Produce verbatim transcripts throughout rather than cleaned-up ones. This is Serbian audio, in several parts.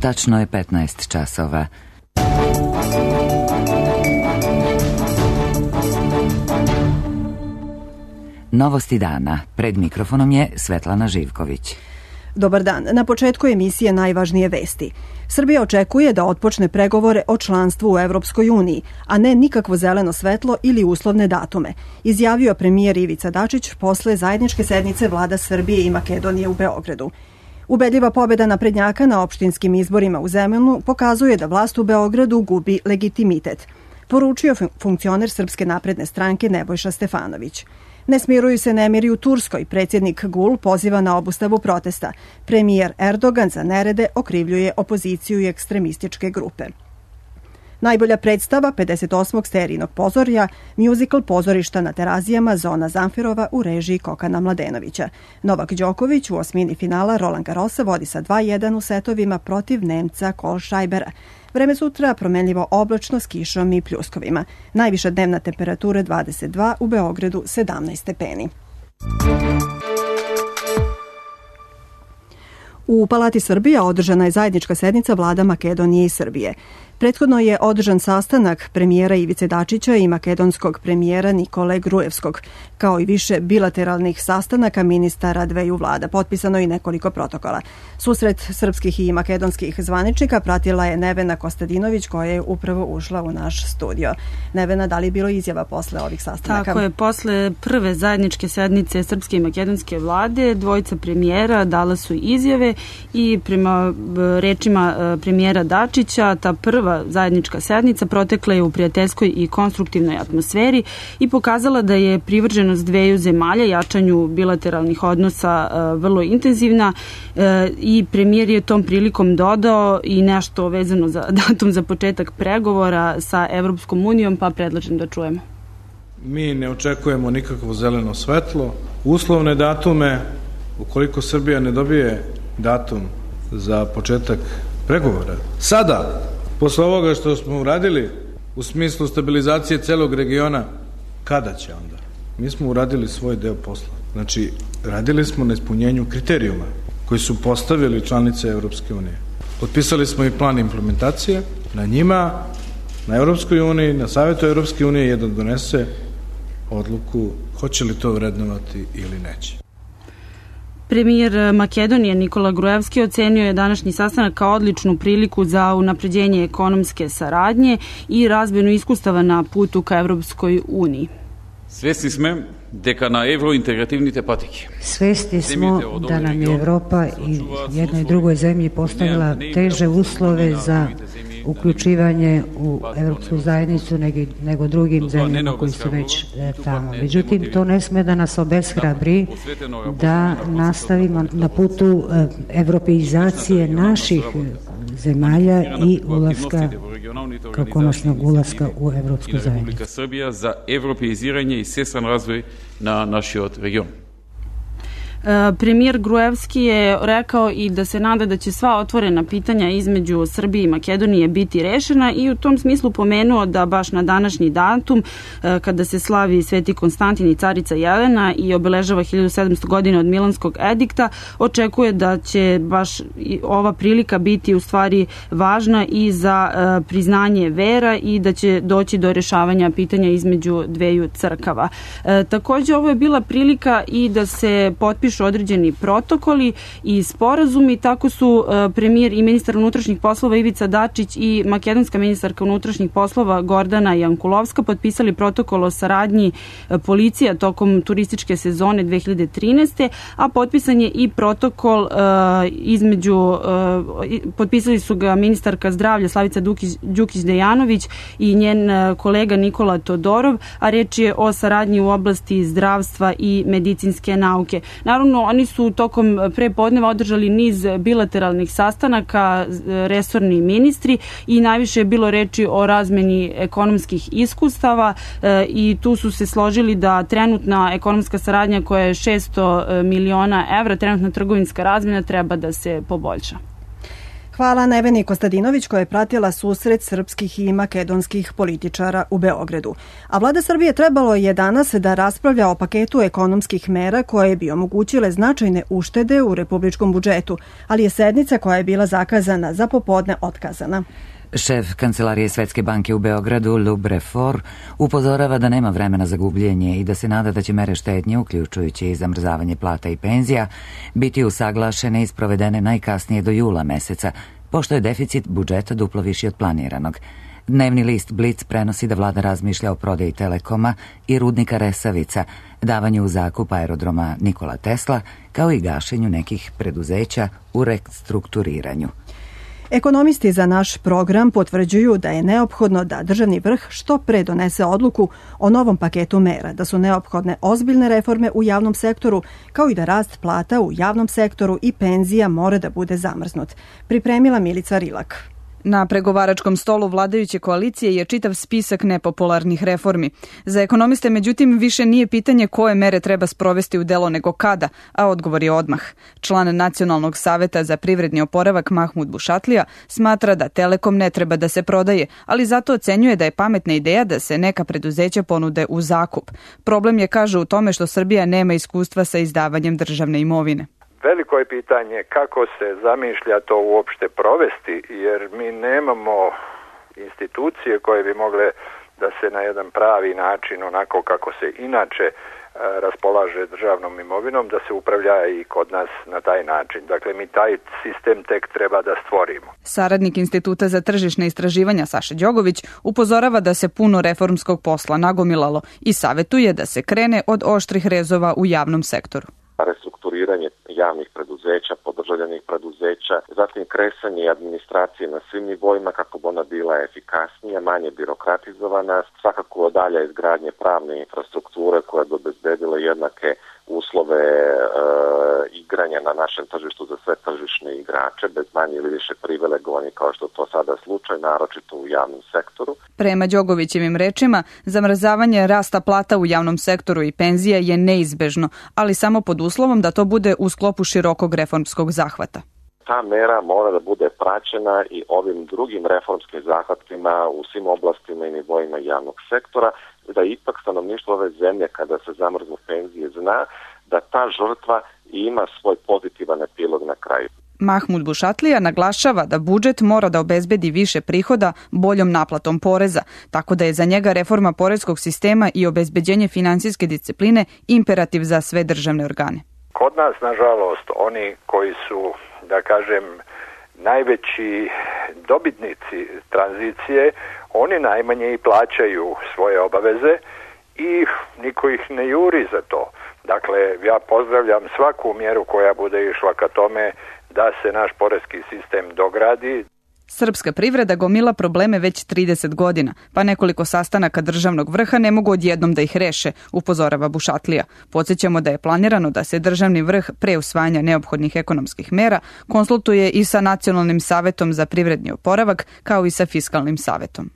Tačno je petnaest časova. Novosti dana. Pred mikrofonom je Svetlana Živković. Dobar dan. Na početku emisije najvažnije vesti. Srbija očekuje da otpočne pregovore o članstvu u Evropskoj uniji, a ne nikakvo zeleno svetlo ili uslovne datume, izjavio premijer Ivica Dačić posle zajedničke sednice vlada Srbije i Makedonije u Beogradu. Ubedljiva pobjeda naprednjaka na opštinskim izborima u Zemunu pokazuje da vlast u Beogradu gubi legitimitet, poručio funkcioner Srpske napredne stranke Nebojša Stefanović. Ne smiruju se nemiri u Turskoj. Predsjednik Gul poziva na obustavu protesta. Premijer Erdogan za nerede okrivljuje opoziciju i ekstremističke grupe. Najbolja predstava pedeset osmog serijnog pozorja, muzikal Pozorišta na Terazijama Zona Zamfirova u režiji Kokana Mladenovića. Novak Đoković u osmini finala Roland Garrosa vodi sa dva jedan u setovima protiv Nemca Kohlscheibera. Vreme sutra promenljivo oblačno s kišom i pljuskovima. Najviša dnevna temperatura dvadeset dva, u Beogradu sedamnaest stepeni. U Palati Srbija održana je zajednička sednica vlada Makedonije i Srbije. Prethodno je održan sastanak premijera Ivice Dačića i makedonskog premijera Nikole Grujevskog, kao i više bilateralnih sastanaka ministara dveju vlada. Potpisano i nekoliko protokola. Susret srpskih i makedonskih zvaničnika pratila je Nevena Kostadinović, koja je upravo ušla u naš studio. Nevena, da li je bilo izjava posle ovih sastanaka? Tako je, posle prve zajedničke sednice srpske i makedonske vlade, dvojica premijera dala su izjave i prema rečima premijera Dačića, ta prva zajednička sednica protekla je u prijateljskoj i konstruktivnoj atmosferi i pokazala da je privrženost dveju zemalja jačanju bilateralnih odnosa vrlo intenzivna i premijer je tom prilikom dodao i nešto vezano za datum za početak pregovora sa Evropskom unijom, pa predlažem da čujemo. Mi ne očekujemo nikakvo zeleno svetlo, uslovne datume. Ukoliko Srbija ne dobije datum za početak pregovora sada, posle ovoga što smo uradili u smislu stabilizacije celog regiona, kada će onda? Mi smo uradili svoj deo posla. Znači, radili smo na ispunjenju kriterijuma koji su postavili članice Evropske unije. Potpisali smo i plan implementacije. Na njima, na Evropskoj uniji, na Savetu Evropske unije jedan donese odluku hoće li to vrednovati ili neće. Premijer Makedonije Nikola Grujevski ocenio je današnji sastanak kao odličnu priliku za unapređenje ekonomske saradnje i razmjenu iskustava na putu ka Evropskoj uniji. Svesni smo deka na evrointegrativnite patike. Svesni smo da nam je Evropa i jednoj i drugoj zemlji postavila teže uslove za uključivanje u Evropsku zajednicu nego, nego drugim zemljama koji su već tamo. Međutim, to ne sme da nas obeshrabri da nastavimo na putu evropeizacije naših zemalja i ulaska, kao konačnog ulaska u Evropsku zajednicu. Republika Srbija za evropeiziranje i svestran razvoj na naš region. Premijer Grujevski je rekao i da se nada da će sva otvorena pitanja između Srbije i Makedonije biti rešena i u tom smislu pomenuo da baš na današnji datum, kada se slavi Sveti Konstantin i carica Jelena i obeležava hiljadu sedamsto godina od Milanskog edikta, očekuje da će baš ova prilika biti u stvari važna i za priznanje vera i da će doći do rešavanja pitanja između dveju crkava. Takođe, ovo je bila prilika i da se potpišu određeni protokoli i sporazumi. Tako su premijer i ministar unutrašnjih poslova Ivica Dačić i makedonska ministarka unutrašnjih poslova Gordana Jankulovska potpisali protokol o saradnji policija tokom turističke sezone dve hiljade trinaeste. a potpisan je i protokol između, potpisali su ga ministarka zdravlja Slavica Đukić-Dejanović i njen kolega Nikola Todorov, a reč je o saradnji u oblasti zdravstva i medicinske nauke. Naravno, oni su tokom prepodneva održali niz bilateralnih sastanaka, resorni ministri, i najviše je bilo reči o razmeni ekonomskih iskustava i tu su se složili da trenutna ekonomska saradnja koja je šesto miliona evra, trenutna trgovinska razmjena, treba da se poboljša. Hvala Neveni Kostadinović koja je pratila susret srpskih i makedonskih političara u Beogradu. A vlada Srbije trebalo je danas da raspravlja o paketu ekonomskih mera koje bi omogućile značajne uštede u republičkom budžetu, ali je sednica koja je bila zakazana za popodne otkazana. Šef Kancelarije Svetske banke u Beogradu, Lub Refor, upozorava da nema vremena za gubljenje i da se nada da će mere štednje, uključujući i zamrzavanje plata i penzija, biti usaglašene i sprovedene najkasnije do jula meseca, pošto je deficit budžeta duplo viši od planiranog. Dnevni list Blic prenosi da vlada razmišlja o prodaji Telekoma i rudnika Resavica, davanju u zakup aerodroma Nikola Tesla, kao i gašenju nekih preduzeća u restrukturiranju. Ekonomisti za naš program potvrđuju da je neophodno da državni vrh što pre donese odluku o novom paketu mera, da su neophodne ozbiljne reforme u javnom sektoru, kao i da rast plata u javnom sektoru i penzija mora da bude zamrznut. Pripremila Milica Rilak. Na pregovaračkom stolu vladajuće koalicije je čitav spisak nepopularnih reformi. Za ekonomiste, međutim, više nije pitanje koje mere treba sprovesti u delo nego kada, a odgovor je odmah. Član Nacionalnog saveta za privredni oporavak Mahmud Bušatlija smatra da Telekom ne treba da se prodaje, ali zato ocenjuje da je pametna ideja da se neka preduzeća ponude u zakup. Problem je, kaže, u tome što Srbija nema iskustva sa izdavanjem državne imovine. Veliko je pitanje kako se zamišlja to uopšte provesti, jer mi nemamo institucije koje bi mogle da se na jedan pravi način, onako kako se inače raspolaže državnom imovinom, da se upravlja i kod nas na taj način. Dakle, mi taj sistem tek treba da stvorimo. Saradnik Instituta za tržišne istraživanja Saša Đogović upozorava da se puno reformskog posla nagomilalo i savetuje da se krene od oštrih rezova u javnom sektoru. Restrukturiranje javnih preduzeća, podržavljenih preduzeća, zatim kresanje administracije na svim nivoima kako bi ona bila efikasnija, manje birokratizovana, svakako dalja izgradnje pravne infrastrukture koja bi obezbedila jednake uslove e, igranja na našem tržištu za sve tržišne igrače, bez manje ili više privilegovanje kao što to sada slučaj, naročito u javnom sektoru. Prema Đogovićevim rečima, zamrzavanje rasta plata u javnom sektoru i penzija je neizbežno, ali samo pod uslovom da to bude u sklopu širokog reformskog zahvata. Ta mera mora da bude praćena i ovim drugim reformskim zahvatima u svim oblastima i nivoima javnog sektora, da ipak stanovništvo ove zemlje kada se zamrznu penzije zna da ta žrtva ima svoj pozitivan epilog na kraju. Mahmud Bušatlija naglašava da budžet mora da obezbedi više prihoda boljom naplatom poreza, tako da je za njega reforma poreskog sistema i obezbeđenje finansijske discipline imperativ za sve državne organe. Kod nas, nažalost, oni koji su, da kažem, najveći dobitnici tranzicije, oni najmanje i plaćaju svoje obaveze i niko ih ne juri za to. Dakle, ja pozdravljam svaku mjeru koja bude išla ka tome da se naš poreski sistem dogradi. Srpska privreda gomila probleme već trideset godina, pa nekoliko sastanaka državnog vrha ne mogu odjednom da ih reše, upozorava Bušatlija. Podsjećamo da je planirano da se državni vrh pre usvajanja neophodnih ekonomskih mera konsultuje i sa Nacionalnim savetom za privredni oporavak, kao i sa Fiskalnim savetom.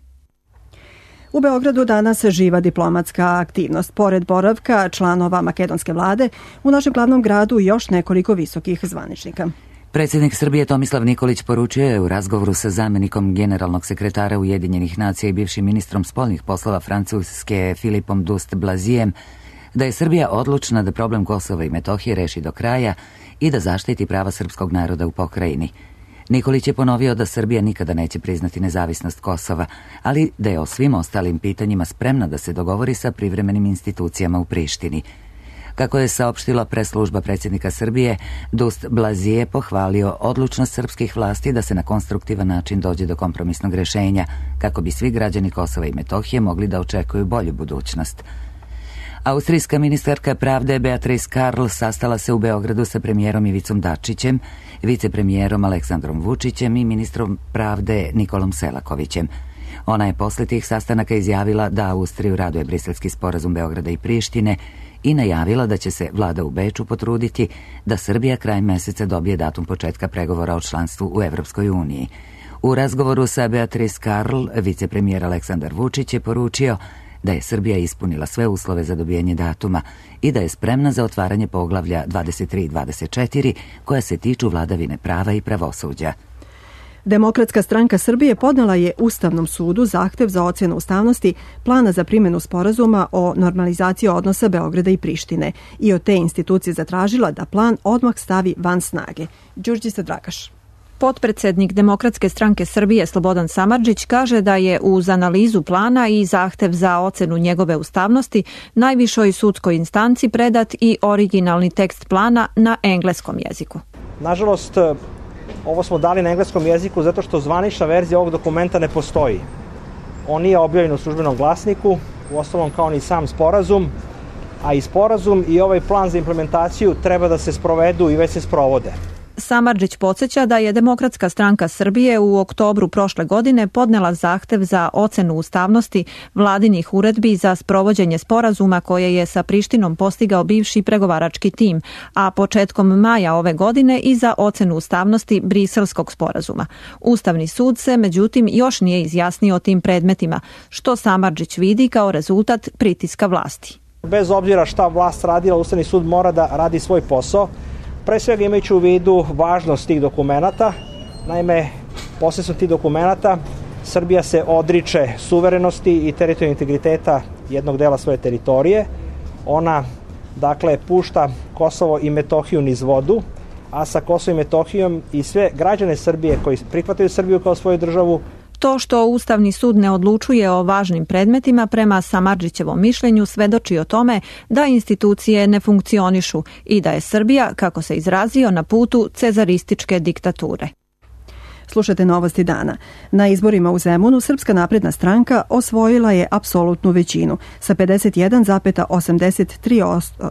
U Beogradu danas živa diplomatska aktivnost. Pored boravka članova makedonske vlade, u našem glavnom gradu još nekoliko visokih zvaničnika. Predsjednik Srbije Tomislav Nikolić poručio je u razgovoru sa zamjenikom generalnog sekretara Ujedinjenih nacija i bivšim ministrom spoljnih poslova Francuske Filipom Douste-Blazijem da je Srbija odlučna da problem Kosova i Metohije reši do kraja i da zaštiti prava srpskog naroda u pokrajini. Nikolić je ponovio da Srbija nikada neće priznati nezavisnost Kosova, ali da je o svim ostalim pitanjima spremna da se dogovori sa privremenim institucijama u Prištini. Kako je saopštila preslužba predsjednika Srbije, Douste-Blazier je pohvalio odlučnost srpskih vlasti da se na konstruktivan način dođe do kompromisnog rješenja, kako bi svi građani Kosova i Metohije mogli da očekuju bolju budućnost. Austrijska ministarka pravde Beatrice Karl sastala se u Beogradu sa premijerom Ivicom Dačićem, vicepremijerom Aleksandrom Vučićem i ministrom pravde Nikolom Selakovićem. Ona je posle tih sastanaka izjavila da Austriju raduje Briselski sporazum Beograda i Prištine i najavila da će se vlada u Beču potruditi da Srbija krajem meseca dobije datum početka pregovora o članstvu u Evropskoj uniji. U razgovoru sa Beatrice Karl, vicepremijer Aleksandar Vučić je poručio da je Srbija ispunila sve uslove za dobijanje datuma i da je spremna za otvaranje poglavlja dvadeset tri i dvadeset četiri koja se tiču vladavine prava i pravosuđa. Demokratska stranka Srbije podnela je Ustavnom sudu zahtev za ocjenu ustavnosti plana za primjenu sporazuma o normalizaciji odnosa Beograda i Prištine i od te institucije zatražila da plan odmah stavi van snage. Đurđica Dragaš. Potpredsednik Demokratske stranke Srbije Slobodan Samardžić kaže da je uz analizu plana i zahtev za ocenu njegove ustavnosti najvišoj sudskoj instanci predat i originalni tekst plana na engleskom jeziku. Nažalost, ovo smo dali na engleskom jeziku zato što zvanična verzija ovog dokumenta ne postoji. On nije objavljen u službenom glasniku, uostalom kao ni sam sporazum, a i sporazum i ovaj plan za implementaciju treba da se sprovedu i već se sprovode. Samardžić podsjeća da je Demokratska stranka Srbije u oktobru prošle godine podnela zahtev za ocenu ustavnosti vladinih uredbi za sprovođenje sporazuma koje je sa Prištinom postigao bivši pregovarački tim, a početkom maja ove godine i za ocenu ustavnosti Briselskog sporazuma. Ustavni sud se, međutim, još nije izjasnio o tim predmetima, što Samardžić vidi kao rezultat pritiska vlasti. Bez obzira šta vlast radila, Ustavni sud mora da radi svoj posao. Pre svega imajući u vidu važnost tih dokumenata. Naime, posredstvom tih dokumenata Srbija se odriče suverenosti i teritorijalnog integriteta jednog dela svoje teritorije. Ona, dakle, pušta Kosovo i Metohiju niz vodu, a sa Kosovom i Metohijom i sve građane Srbije koji prihvataju Srbiju kao svoju državu. To što Ustavni sud ne odlučuje o važnim predmetima prema Samardžićevom mišljenju svedoči o tome da institucije ne funkcionišu i da je Srbija, kako se izrazio, na putu cezarističke diktature. Slušate Novosti dana. Na izborima u Zemunu Srpska napredna stranka osvojila je apsolutnu većinu sa pedeset jedan zarez osamdeset tri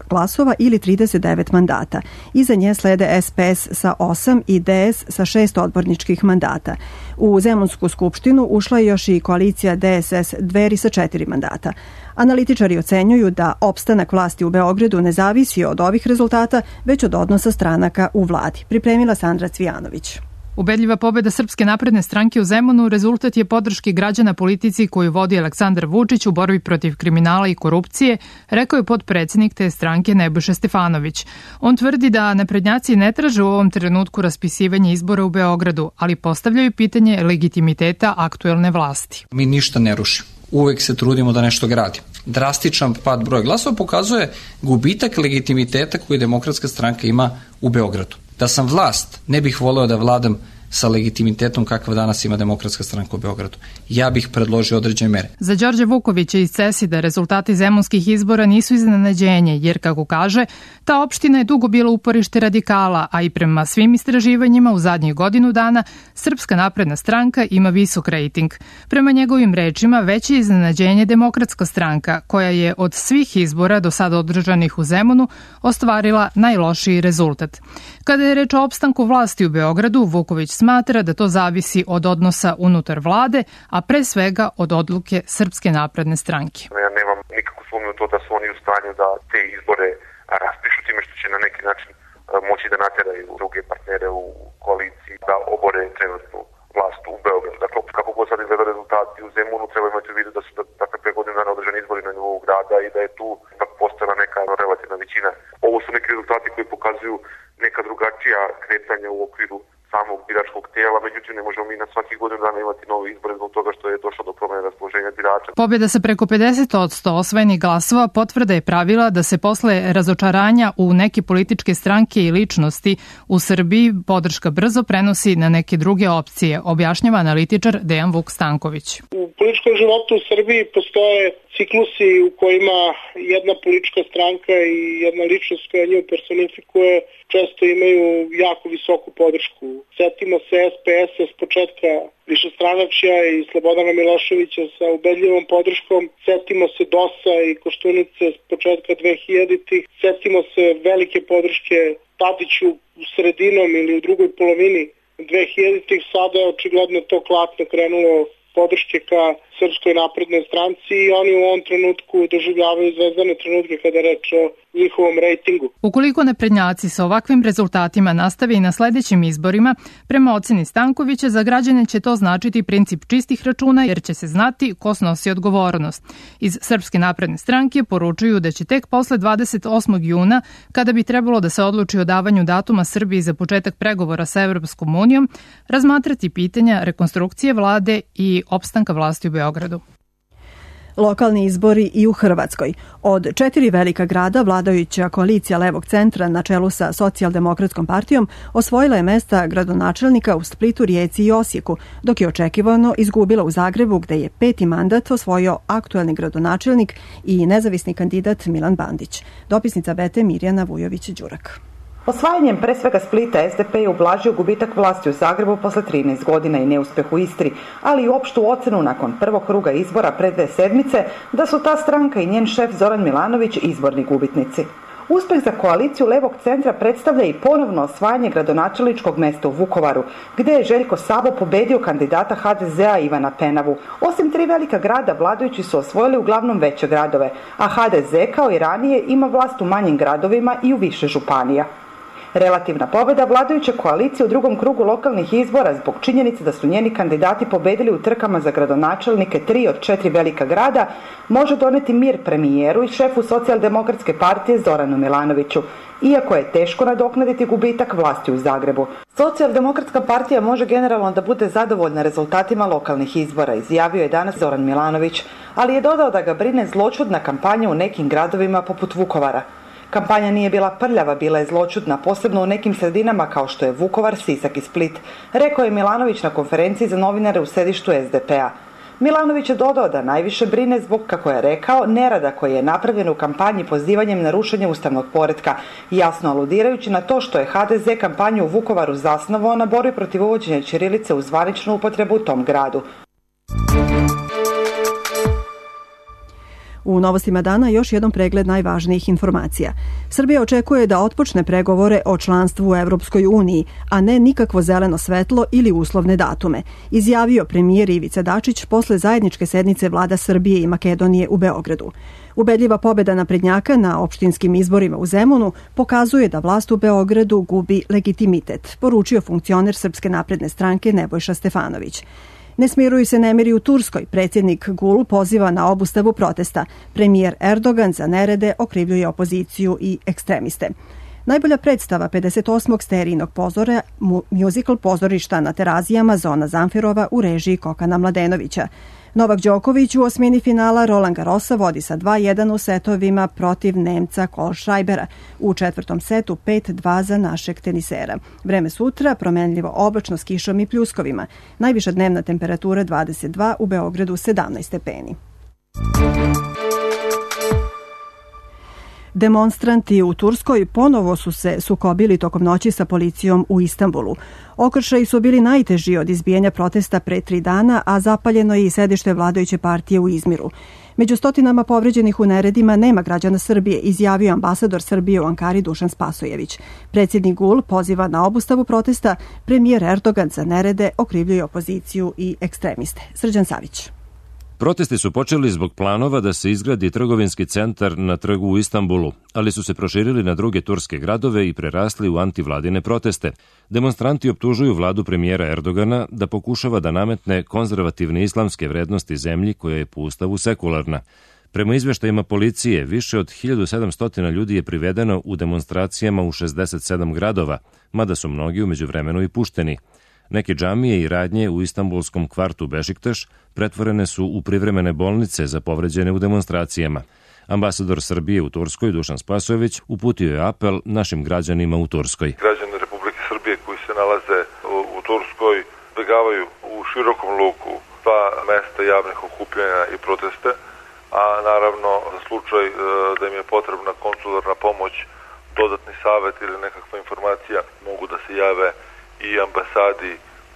glasova ili trideset devet mandata. Iza nje slede S P S sa osam i D S sa šest odborničkih mandata. U Zemunsku skupštinu ušla je još i koalicija D S S Dveri sa četiri mandata. Analitičari ocenjuju da opstanak vlasti u Beogradu ne zavisi od ovih rezultata, već od odnosa stranaka u vladi. Pripremila Sandra Cvijanović. Ubedljiva pobeda Srpske napredne stranke u Zemunu rezultat je podrške građana politici koju vodi Aleksandar Vučić u borbi protiv kriminala i korupcije, rekao je potpredsednik te stranke Nebojša Stefanović. On tvrdi da naprednjaci ne traže u ovom trenutku raspisivanje izbora u Beogradu, ali postavljaju pitanje legitimiteta aktuelne vlasti. Mi ništa ne rušimo. Uvek se trudimo da nešto gradimo. Drastičan pad broja glasova pokazuje gubitak legitimiteta koji Demokratska stranka ima u Beogradu. Da sam vlast, ne bih voleo da vladam sa legitimitetom kakav danas ima Demokratska stranka u Beogradu. Ja bih predložio određene mere. Za Đorđe Vukovića iz Cesida rezultati zemunskih izbora nisu iznenađenje, jer, kako kaže, ta opština je dugo bila uporište radikala, a i prema svim istraživanjima u zadnjih godinu dana Srpska napredna stranka ima visok rejting. Prema njegovim rečima, veće iznenađenje Demokratska stranka, koja je od svih izbora do sada održanih u Zemunu ostvarila najlošiji rezultat. Kada je reč o opstanku vlasti u Beogradu, Vuković smatra da to zavisi od odnosa unutar vlade, a pre svega od odluke Srpske napredne stranke. Ja nemam nikakvu sumnju u to da su oni u stanju da te izbore raspišu time što će na neki način moći da nateraju druge partnere u koaliciji da obore trenutnu vlast u Beogradu. Dakle, kako god sad izgleda rezultati u Zemunu, treba imati u vidu da su dakle, pre godinu dana održani izbori na nivou grada i da je tu ipak postala neka relativna većina. Ovo su neki rezultati koji pokazuju neka drugačija kretanja u okviru samog biračkog tijela, međutim ne možemo mi na svakih godinu dana imati nove izbore zbog toga što je došlo do promene raspoloženja birača. Pobjeda sa preko pedeset posto osvojenih glasova potvrda je pravila da se posle razočaranja u neke političke stranke i ličnosti u Srbiji podrška brzo prenosi na neke druge opcije, objašnjava analitičar Dejan Vuk Stanković. U političkom životu u Srbiji postoje ciklusi u kojima jedna politička stranka i jedna ličnost koja nju personifikuje često imaju jako visoku podršku. Setimo se S P S-a s početka višestranačja i Slobodana Miloševića sa ubedljivom podrškom. Setimo se D O S-a i Koštunice s početka dvehiljaditih. Setimo se velike podrške Tadiću u sredinom ili u drugoj polovini dvehiljaditih. Sada je očigledno to klatno krenulo podrške ka Srpskoj naprednoj stranci i oni u ovom trenutku doživljavaju zvezdane trenutke kada je reč o njihovom rejtingu. Ukoliko naprednjaci sa ovakvim rezultatima nastave i na sledećim izborima, prema oceni Stankovića, za građane će to značiti princip čistih računa jer će se znati ko snosi odgovornost. Iz Srpske napredne stranke poručuju da će tek posle dvadeset osmog juna, kada bi trebalo da se odluči o davanju datuma Srbiji za početak pregovora sa Evropskom unijom, razmatrati pitanja rekonstrukcije vlade i opstanka vlasti u Beogradu. Lokalni izbori i u Hrvatskoj. Od četiri velika grada vladajuća koalicija levog centra na čelu sa Socijaldemokratskom partijom osvojila je mesta gradonačelnika u Splitu, Rijeci i Osijeku, dok je očekivano izgubila u Zagrebu gde je peti mandat osvojio aktuelni gradonačelnik i nezavisni kandidat Milan Bandić. Dopisnica Bete Mirjana Vujović-Đurak. Osvajanjem pre svega Splita es de pe je ublažio gubitak vlasti u Zagrebu posle trinaest godina i neuspeh u Istri, ali i opštu ocenu nakon prvog kruga izbora pre dve sedmice da su ta stranka i njen šef Zoran Milanović izborni gubitnici. Uspeh za koaliciju levog centra predstavlja i ponovno osvajanje gradonačelničkog mesta u Vukovaru, gde je Željko Sabo pobedio kandidata ha de zea Ivana Penavu. Osim tri velika grada, vladajući su osvojili uglavnom veće gradove, a ha de ze kao i ranije ima vlast u manjim gradovima i u više županija. Relativna pobeda vladajuće koalicije u drugom krugu lokalnih izbora zbog činjenice da su njeni kandidati pobedili u trkama za gradonačelnike tri od četiri velika grada može doneti mir premijeru i šefu Socijaldemokratske partije Zoranu Milanoviću, iako je teško nadoknaditi gubitak vlasti u Zagrebu. Socijaldemokratska partija može generalno da bude zadovoljna rezultatima lokalnih izbora, izjavio je danas Zoran Milanović, ali je dodao da ga brine zloćudna kampanja u nekim gradovima poput Vukovara. Kampanja nije bila prljava, bila je zloćudna, posebno u nekim sredinama kao što je Vukovar, Sisak i Split, rekao je Milanović na konferenciji za novinare u sedištu es de pe a. Milanović je dodao da najviše brine zbog, kako je rekao, nerada koji je napravljen u kampanji pozivanjem na rušenje ustavnog poretka, jasno aludirajući na to što je ha de ze kampanju u Vukovaru zasnovao na borbi protiv uvođenja ćirilice u zvaničnu upotrebu u tom gradu. U novostima dana još jedan pregled najvažnijih informacija. Srbija očekuje da otpočne pregovore o članstvu u Evropskoj uniji, a ne nikakvo zeleno svetlo ili uslovne datume, izjavio premijer Ivica Dačić posle zajedničke sednice vlada Srbije i Makedonije u Beogradu. Ubedljiva pobeda naprednjaka na opštinskim izborima u Zemunu pokazuje da vlast u Beogradu gubi legitimitet, poručio funkcioner Srpske napredne stranke Nebojša Stefanović. Ne smiruju se nemiri u Turskoj. Predsjednik Gul poziva na obustavu protesta. Premijer Erdogan za nerede okrivljuje opoziciju i ekstremiste. Najbolja predstava pedeset osmog serijnog pozora, musical pozorišta na Terazijama Zona Zamfirova u režiji Kokana Mladenovića. Novak Đoković u osmini finala Roland Garrosa vodi sa dva jedan u setovima protiv Nemca Kohlschreibera. U četvrtom setu pet dva za našeg tenisera. Vreme sutra promenljivo oblačno s kišom i pljuskovima. Najviša dnevna temperatura dvadeset dva, u Beogradu sedamnaest stepeni. Demonstranti u Turskoj ponovo su se sukobili tokom noći sa policijom u Istanbulu. Okršaji su bili najteži od izbijanja protesta pre tri dana, a zapaljeno je i sedište vladajuće partije u Izmiru. Među stotinama povređenih u neredima nema građana Srbije, izjavio ambasador Srbije u Ankari Dušan Spasojević. Predsjednik Gul poziva na obustavu protesta, premijer Erdogan za nerede okrivljuje opoziciju i ekstremiste. Srđan Savić. Protesti su počeli zbog planova da se izgradi trgovinski centar na trgu u Istanbulu, ali su se proširili na druge turske gradove i prerasli u antivladine proteste. Demonstranti optužuju vladu premijera Erdogana da pokušava da nametne konzervativne islamske vrednosti zemlji koja je po ustavu sekularna. Prema izveštajima policije, više od hiljadu sedamsto ljudi je privedeno u demonstracijama u šezdeset sedam gradova, mada su mnogi umeđu vremenu i pušteni. Neke džamije i radnje u istanbulskom kvartu Bešiktaš pretvorene su u privremene bolnice za povređene u demonstracijama. Ambasador Srbije u Turskoj Dušan Spasojević uputio je apel našim građanima u Turskoj. Građani Republike Srbije koji se nalaze u, u Turskoj begavaju u širokom luku sva mesta javnih okupljanja i proteste, a naravno za slučaj e, da im je potrebna konsularna pomoć, dodatni savet ili nekakva informacija mogu da se jave i ambasadi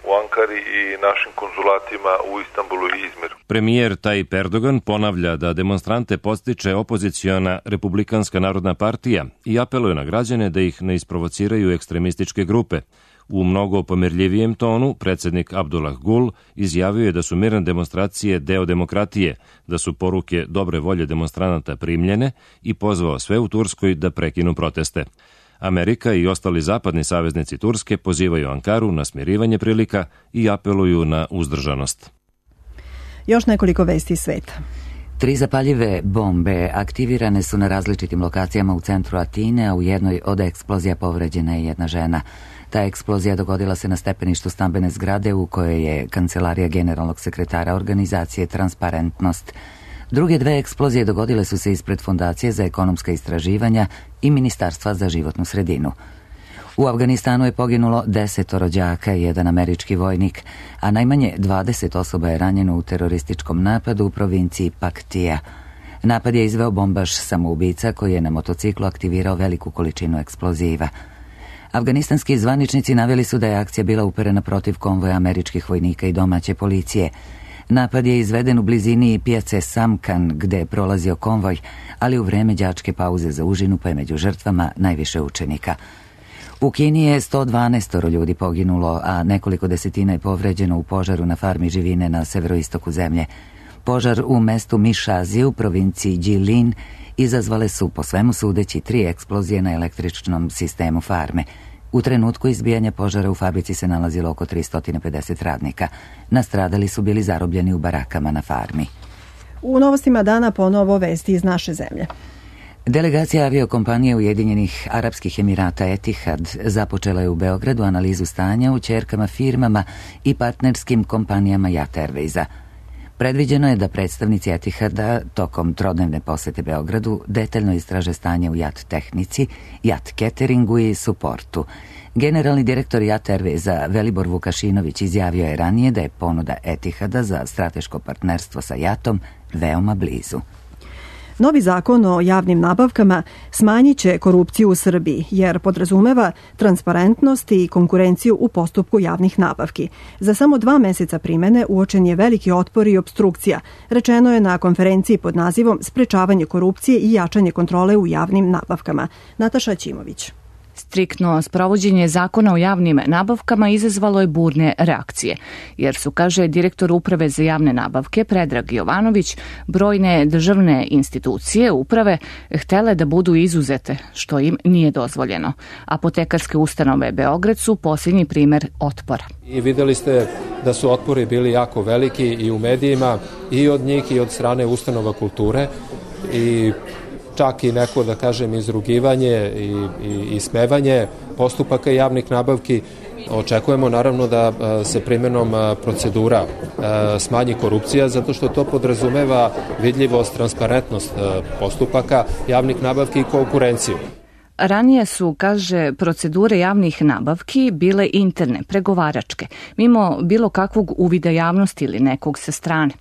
u Ankari i našim konzulatima u Istanbulu i Izmiru. Premijer Tayyip Erdogan ponavlja da demonstrante podstiče opoziciona Republikanska narodna partija i apeluje na građane da ih ne isprovociraju ekstremističke grupe. U mnogo pomirljivijem tonu, predsjednik Abdullah Gul izjavio je da su mirne demonstracije deo demokratije, da su poruke dobre volje demonstranata primljene i pozvao sve u Turskoj da prekinu proteste. Amerika i ostali zapadni saveznici Turske pozivaju Ankaru na smirivanje prilika i apeluju na uzdržanost. Još nekoliko vesti iz sveta. Tri zapaljive bombe aktivirane su na različitim lokacijama u centru Atine, a u jednoj od eksplozija povređena je jedna žena. Ta eksplozija dogodila se na stepeništu stambene zgrade u kojoj je kancelarija generalnog sekretara organizacije Transparentnost. Druge dve eksplozije dogodile su se ispred Fondacije za ekonomska istraživanja i Ministarstva za životnu sredinu. U Afganistanu je poginulo desetoro đaka i jedan američki vojnik, a najmanje dvadeset osoba je ranjeno u terorističkom napadu u provinciji Paktija. Napad je izveo bombaš samoubica koji je na motociklu aktivirao veliku količinu eksploziva. Afganistanski zvaničnici naveli su da je akcija bila uperena protiv konvoja američkih vojnika i domaće policije. Napad je izveden u blizini pijace Samkan gde je prolazio konvoj, ali u vreme đačke pauze za užinu pa je među žrtvama najviše učenika. U Kini je sto dvanaest ljudi poginulo, a nekoliko desetina je povređeno u požaru na farmi živine na severoistoku zemlje. Požar u mestu Mišazi u provinciji Jilin izazvale su, po svemu sudeći, tri eksplozije na električnom sistemu farme. U trenutku izbijanja požara u fabrici se nalazilo oko tristo pedeset radnika. Nastradali su bili zarobljeni u barakama na farmi. U novostima dana ponovo vesti iz naše zemlje. Delegacija aviokompanije Ujedinjenih Arapskih Emirata Etihad započela je u Beogradu analizu stanja u ćerkama firmama i partnerskim kompanijama Jat Airwaysa. Predviđeno je da predstavnici Etihada tokom trodnevne posete Beogradu detaljno istraže stanje u Jat tehnici, Jat cateringu i suportu. Generalni direktor Jat Airwaysa Velibor Vukašinović izjavio je ranije da je ponuda Etihada za strateško partnerstvo sa Jatom veoma blizu. Novi zakon o javnim nabavkama smanjit će korupciju u Srbiji, jer podrazumeva transparentnost i konkurenciju u postupku javnih nabavki. Za samo dva meseca primene uočen je veliki otpor i opstrukcija, rečeno je na konferenciji pod nazivom Sprečavanje korupcije i jačanje kontrole u javnim nabavkama. Nataša Ćimović. Striktno sprovođenje zakona o javnim nabavkama izazvalo je burne reakcije, jer su, kaže direktor Uprave za javne nabavke Predrag Jovanović, brojne državne institucije uprave htele da budu izuzete, što im nije dozvoljeno. Apotekarske ustanove Beograd su posljednji primer otpora. I videli ste da su otpori bili jako veliki i u medijima, i od njih i od strane ustanova kulture, i čak i neko, da kažem, izrugivanje i, i, i smevanje postupaka javnih nabavki. Očekujemo naravno da se primjenom procedura smanji korupcija, zato što to podrazumeva vidljivost, transparentnost postupaka javnih nabavki i konkurenciju. Ranije su, kaže, procedure javnih nabavki bile interne, pregovaračke, mimo bilo kakvog uvida javnosti ili nekog sa strane.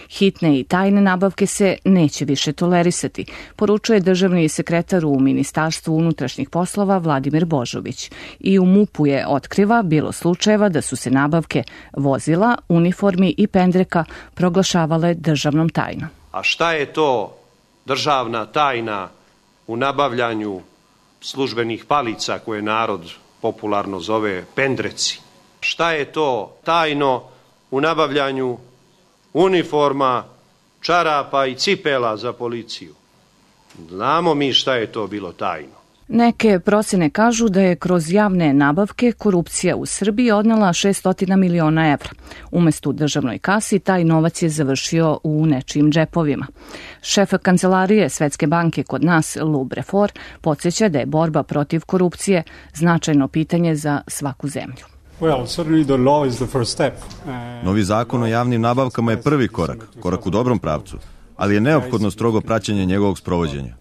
Hitne i tajne nabavke se neće više tolerisati, poručuje državni sekretar u Ministarstvu unutrašnjih poslova Vladimir Božović. I u MUP-u je otkriva bilo slučajeva da su se nabavke vozila, uniformi i pendreka proglašavale državnom tajnom. A šta je to državna tajna u nabavljanju službenih palica koje narod popularno zove pendreci? Šta je to tajno u nabavljanju uniforma, čarapa i cipela za policiju? Znamo mi šta je to bilo tajno. Neke procene kažu da je kroz javne nabavke korupcija u Srbiji odnela šessto miliona evra. Umesto u državnoj kasi, taj novac je završio u nečijim džepovima. Šef kancelarije Svetske banke kod nas, Lou Brefor, podsjeća da je borba protiv korupcije značajno pitanje za svaku zemlju. Novi zakon o javnim nabavkama je prvi korak, korak u dobrom pravcu, ali je neophodno strogo praćenje njegovog sprovođenja.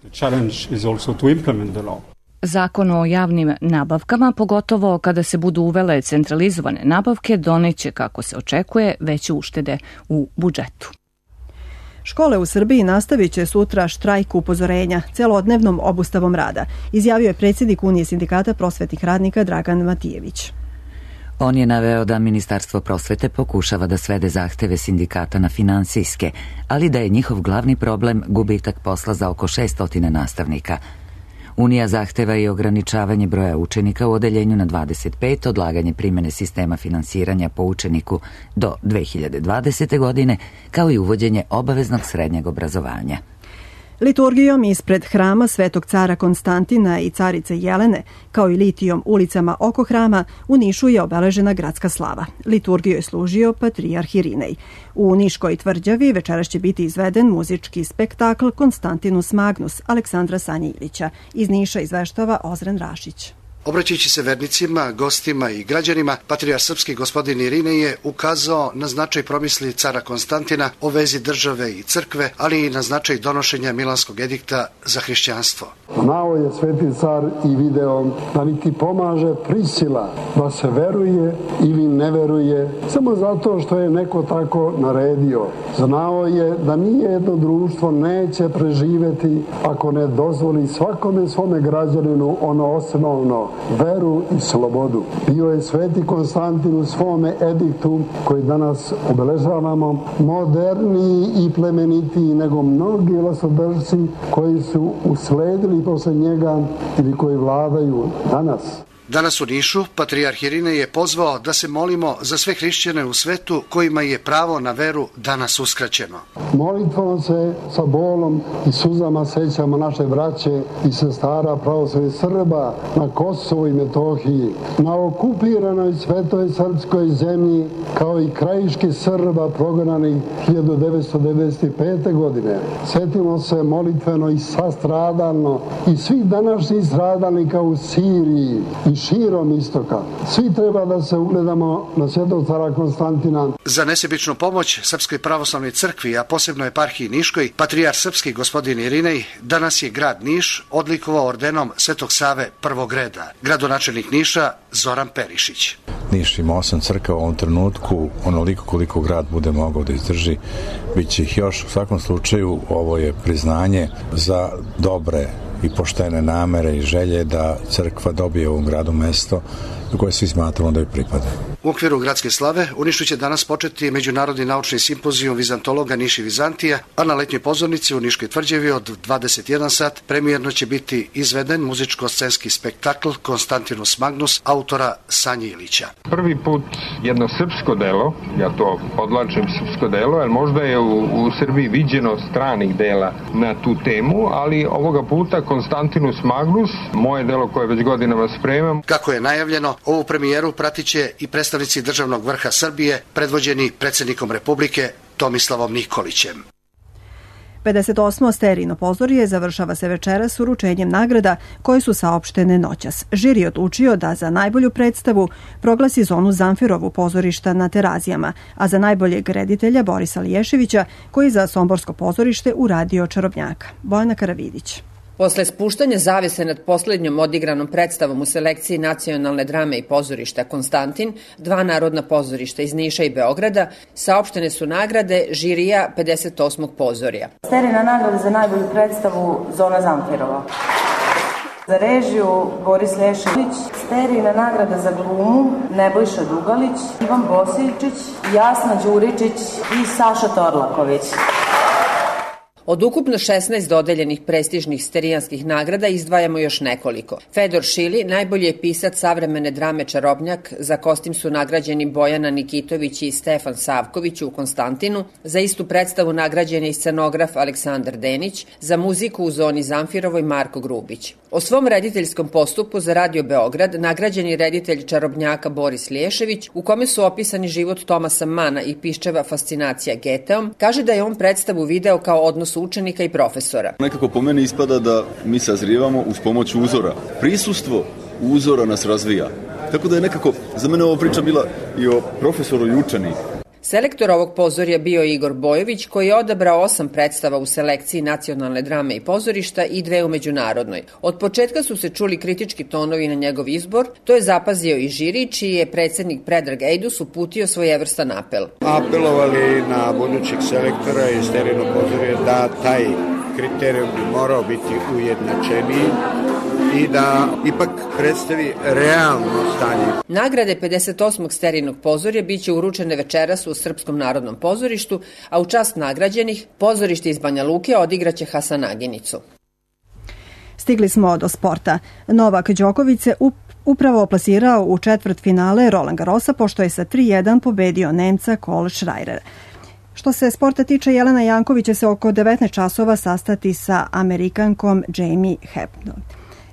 Zakon o javnim nabavkama, pogotovo kada se budu uvele centralizovane nabavke, doneće, kako se očekuje, veće uštede u budžetu. Škole u Srbiji nastavit će sutra štrajk upozorenja celodnevnom obustavom rada, izjavio je predsjednik Unije sindikata prosvetnih radnika Dragan Matijević. On je naveo da Ministarstvo prosvete pokušava da svede zahteve sindikata na finansijske, ali da je njihov glavni problem gubitak posla za oko šeststo nastavnika. Unija zahteva i ograničavanje broja učenika u odeljenju na dvadeset pet, odlaganje primene sistema finansiranja po učeniku do dve hiljade dvadesete. godine, kao i uvođenje obaveznog srednjeg obrazovanja. Liturgijom ispred hrama Svetog cara Konstantina i carice Jelene, kao i litijom ulicama oko hrama, u Nišu je obeležena gradska slava. Liturgiju je služio patrijarh Irinej. U Niškoj tvrđavi večeras će biti izveden muzički spektakl Konstantinus Magnus Aleksandra Sanji-Ilića. Iz Niša izveštava Ozren Rašić. Obraćajući se vernicima, gostima i građanima, patrijarh srpski gospodin Irinej je ukazao na značaj promisli cara Konstantina o vezi države i crkve, ali i na značaj donošenja Milanskog edikta za hrišćanstvo. Znao je sveti car i video da niti pomaže prisila da se veruje ili ne veruje samo zato što je neko tako naredio. Znao je da nije jedno društvo neće preživeti ako ne dozvoli svakome svome građaninu ono osnovno, veru i slobodu. Bio je sveti Konstantin u svome ediktu koji danas obeležavamo moderniji i plemenitiji nego mnogi vlastodržci koji su usledili posle njega ili koji vladaju danas. Danas u Nišu patrijarh Irinej je pozvao da se molimo za sve hrišćane u svetu kojima je pravo na veru danas uskraćeno. Molitvom se sa bolom i suzama sećamo naše braće i sestara pravoslavnih Srba na Kosovu i Metohiji, na okupiranoj svetoj srpskoj zemlji, kao i krajiški Srba prognanih hiljadu devetsto devedeset pete. godine. Sjetimo se molitveno i sastradalno i svih današnjih stradalnika u Siriji i širom istoka. Svi treba da se ugledamo na svetog cara Konstantina. Za nesebičnu pomoć Srpskoj pravoslavnoj crkvi, a posebno eparhiji Niškoj, patrijarh srpski gospodin Irinej danas je grad Niš odlikovao ordenom Svetog Save prvog reda. Gradonačelnik Niša Zoran Perišić. Niš ima osam crkava u ovom trenutku, onoliko koliko grad bude mogao da izdrži, bit će ih još. U svakom slučaju ovo je priznanje za dobre i poštene namere i želje da crkva dobije u ovom gradu mesto do koje svi smatramo da joj pripada. U okviru gradske slave u Nišu će danas početi međunarodni naučni simpozijum vizantologa Niš i Vizantija, a na letnjoj pozornici u Niškoj tvrđavi od dvadeset jedan sat premijerno će biti izveden muzičko-scenski spektakl Konstantinus Magnus autora Sanji Ilića. Prvi put jedno srpsko delo, ja to podlačim srpsko delo, jer možda je u, u Srbiji viđeno stranih dela na tu temu, ali ovoga puta Konstantinus Magnus, moje delo koje već godinama spremam. Kako je najavljeno, ovu premijeru pratit će i predstavnici državnog vrha Srbije, predvođeni predsjednikom Republike Tomislavom Nikolićem. pedeset osmo Sterijino pozorje završava se večeras uručenjem nagrada koje su saopštene noćas. Žiri je odlučio da za najbolju predstavu proglasi zonu Zamfirovu pozorišta na Terazijama, a za najboljeg reditelja Borisa Liješevića, koji za Somborsko pozorište uradio Čarobnjaka. Bojana Karavidić. Posle spuštanja zavese nad poslednjom odigranom predstavom u selekciji nacionalne drame i pozorišta Konstantin, dva narodna pozorišta iz Niša i Beograda, saopštene su nagrade žirija pedeset osmog pozorja. Sterijina nagrada za najbolju predstavu Zona Zamfirova. Za režiju Boris Lješević, Sterijina nagrada za glumu Nebojša Dugalić, Ivan Bosiljčić, Jasna Đuričić i Saša Torlaković. Od ukupno šesnaest dodeljenih prestižnih sterijanskih nagrada izdvajamo još nekoliko. Fedor Šili, najbolji je pisac savremene drame Čarobnjak, za kostim su nagrađeni Bojana Nikitović i Stefan Savković u Konstantinu, za istu predstavu nagrađen je i scenograf Aleksandar Denić, za muziku u Zoni Zamfirovoj Marko Grubić. O svom rediteljskom postupu za Radio Beograd nagrađen je reditelj Čarobnjaka Boris Lješević, u kome su opisani život Tomasa Mana i Piščeva fascinacija Geteom, kaže da je on predstavu video kao odnos učenika i profesora. Nekako po meni ispada da mi sazrijevamo uz pomoć uzora. Prisustvo uzora nas razvija. Tako da je nekako, za mene ova priča bila i o profesoru i učeniku. Selektor ovog pozorja bio je Igor Bojović, koji je odabrao osam predstava u selekciji nacionalne drame i pozorišta i dve u međunarodnoj. Od početka su se čuli kritički tonovi na njegov izbor, to je zapazio i žiri, čiji je predsjednik Predrag Ejdus uputio svojevrstan apel. Apelovali na budućeg selektora i Sterijino pozorje da taj kriterijum bi morao biti ujednačeniji i da ipak predstavi realno stanje. Nagrade pedeset osmog Sterijinog pozorja biće uručene večeras u Srpskom narodnom pozorištu, a u čast nagrađenih pozorište iz Banja Luke odigraće Hasanaginicu. Stigli smo do sporta. Novak Đoković se upravo plasirao u četvrt finale Roland Garrosa, pošto je sa tri jedan pobedio Nemca Cole Schreier. Što se sporta tiče, Jelena Janković će se oko devetnaest časova sastati sa Amerikankom Jamie Hepburn.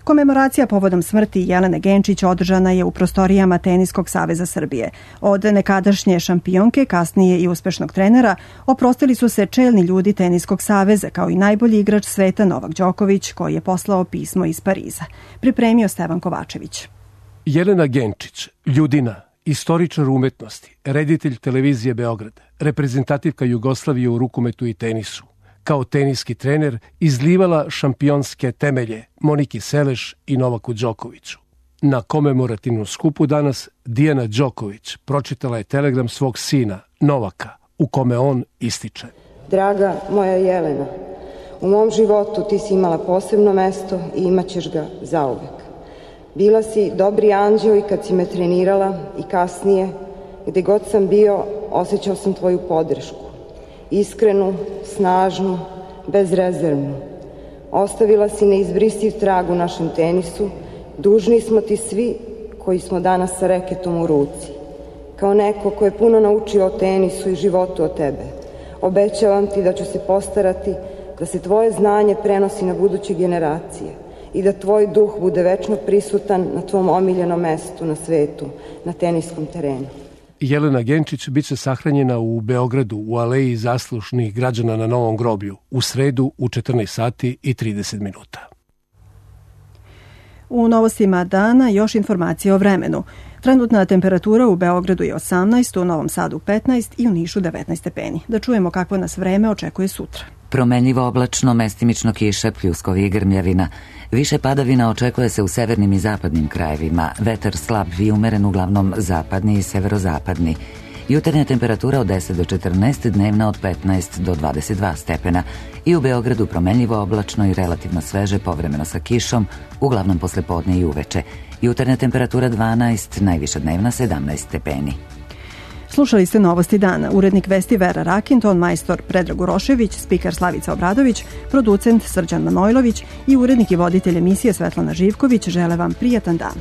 Komemoracija povodom smrti Jelene Genčić održana je u prostorijama Teniskog saveza Srbije. Od nekadašnje šampionke, kasnije i uspešnog trenera, oprostili su se čelni ljudi Teniskog saveza, kao i najbolji igrač sveta Novak Đoković, koji je poslao pismo iz Pariza. Pripremio Stevan Kovačević. Jelena Genčić, ljudina, istoričar umetnosti, reditelj televizije Beograd, reprezentativka Jugoslavije u rukometu i tenisu, kao teniski trener izlivala šampionske temelje Moniki Seleš i Novaku Đokoviću. Na komemorativnom skupu danas Dijana Đoković pročitala je telegram svog sina, Novaka, u kome on ističe. Draga moja Jelena, u mom životu ti si imala posebno mesto i imaćeš ga zauvek. Bila si dobri anđeo i kad si me trenirala i kasnije, gde god sam bio, osjećao sam tvoju podršku. Iskrenu, snažnu, bezrezervnu. Ostavila si neizbrisiv trag u našem tenisu, dužni smo ti svi koji smo danas sa reketom u ruci. Kao neko ko je puno naučio o tenisu i životu od tebe, obećavam ti da ću se postarati da se tvoje znanje prenosi na buduće generacije i da tvoj duh bude večno prisutan na tvom omiljenom mestu na svetu, na teniskom terenu. Jelena Genčić biće sahranjena u Beogradu u aleji zaslušnih građana na Novom groblju u sredu u četrnaest sati i trideset minuta. U novostima dana još informacije o vremenu. Trenutna temperatura u Beogradu je osamnaest, u Novom Sadu petnaest i u Nišu devetnaest stepeni. Da čujemo kakvo nas vreme očekuje sutra. Promenljivo oblačno, mestimično kiša, pljuskovi i grmljavina. Više padavina očekuje se u severnim i zapadnim krajevima. Vetar slab i umeren, uglavnom zapadni i severozapadni. Jutarnja temperatura od deset do četrnaest, dnevna od petnaest do dvadeset dva stepena. I u Beogradu promenljivo oblačno i relativno sveže, povremeno sa kišom, uglavnom posle podne i uveče. Jutarnja temperatura dvanaest, najviša dnevna sedamnaest stepeni. Slušali ste novosti dana. Urednik vesti Vera Rakin, ton majstor Predrag Urošević, spiker Slavica Obradović, producent Srđan Manojlović i urednik i voditelj emisije Svetlana Živković žele vam prijatan dan.